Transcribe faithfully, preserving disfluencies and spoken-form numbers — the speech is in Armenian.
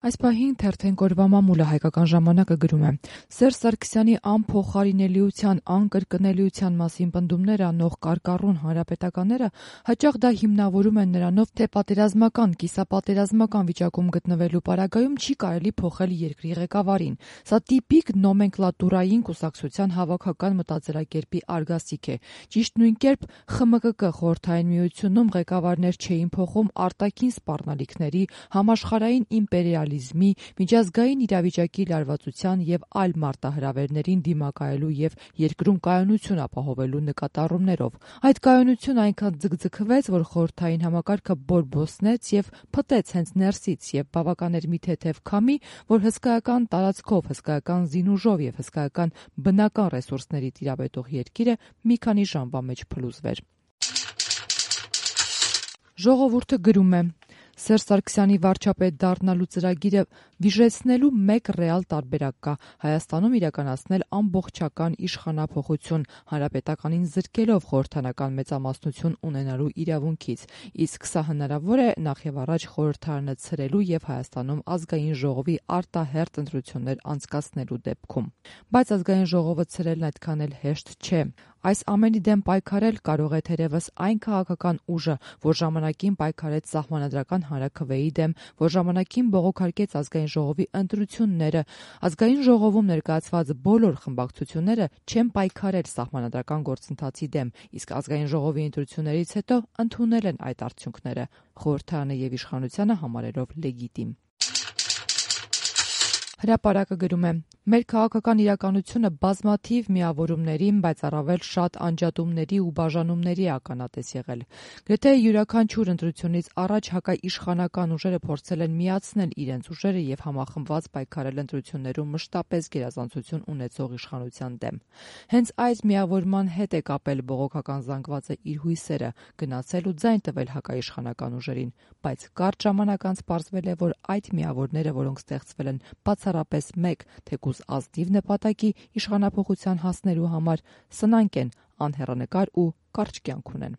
Այս պահին թերթեն կորվա մամուլը հայկական ժամանակը գրում է. Սերժ Սարգսյանի անփոխարինելիության, անկրկնելիության մասին պնդումներ անող կարկառուն հանրապետականները հաճախ դա հիմնավորում են նրանով, թե պատերազմական, կիսապատերազմական վիճակում գտնվելու պարագայում չի կարելի փոխել երկրի ղեկավարին։ Սա տիպիկ նոմենկլատուրային կուսակցության հավաքական մտածելակերպի արգասիկ է։ Ճիշտ նույն կերպ Խ M K K խորհրդային միությունում ղեկավարներ չէին փոխում արտաքին սպառնալիքների, համաշխարհային իմպերիալիզմի, միջազգային իրավիճակի լարվածության եւ այլ մարտահրավերներին դիմակայելու եւ երկրում կայունություն ապահովելու նկատառումներով։ Այդ կայունությունը այնքան ձգձգվեց, որ խորհրդային համակարգը բորբոսնեց եւ փտեց հենց ներսից եւ բավական էր մի թեթև քամի, որ հսկայական տարածքով, հսկայական զինուժով եւ հսկայական բնական ռեսուրսների տիրապետող երկիրը մի քանի ժամվա մեջ փլուզվեր։ Ժողովուրդը գրում է. Սերժ Սարգսյանի վարչապետ դառնալու ծրագիրը վիժեցնելու մեկ ռեալ տարբերակ կա՝ Հայաստանում իրականացնել ամբողջական իշխանափոխություն, հանրապետականին զրկելով խորհրդարանական մեծամասնություն ունենալու իրավունքից, իսկ սա հնարավոր է նախևառաջ խորհրդարանը ցրելու եւ Հայաստանում ազգային ժողովի արտահերթ ընտրություններ անցկացնելու դեպքում։ Բայց ազգային ժողովը ցրելն այդքան էլ հեշտ չէ։ Այս ամենի դեմ պայքարել կարող է թերևս այն քաղաքական ուժը, որ ժամանակին պայքարեց Սահմանադրական հանրաքվեի դեմ, որ ժամանակին բողոքարկեց ազգային ժողովի ընտրությունները։ Ազգային ժողովում ներկայացված բոլոր խմբակցությունները չեն պայքարել սահմանադրական գործընթացի դեմ, իսկ ազգային ժողովի ընտրություններից հետո ընդունել են այդ արդյունքները, խորհրդարանը եւ իշխանությանը համարելով լեգիտիմ։ Հրապարակը գրում է. Մեր քաղաքական իրականությունը բազմաթիվ միավորումների, բայց առավել շատ անջատումների ու բաժանումների ականատես եղել։ Գրեթե յուրաքանչյուր ընտրությունից առաջ հակաիշխանական ուժերը փորձել են միացնել իրենց ուժերը եւ համախմբված պայքարել ընտրություններում մշտապես գերազանցություն ունեցող իշխանության դեմ։ Հենց այդ միավորման հետ է կապել բողոքական զանգվածը իր հույսերը, գնացել ու ձայն տվել հակաիշխանական ուժերին, բայց կարճ ժամանակ անց պարզվել է, որ այդ միավորները, որոնք ստեղծվել են բացառապես մեկ, թեկուզ ազնիվ նպատակի իշխանափոխության հասնելու համար, սնանկ են, անհեռանկար ու կարճ կյանք ունեն։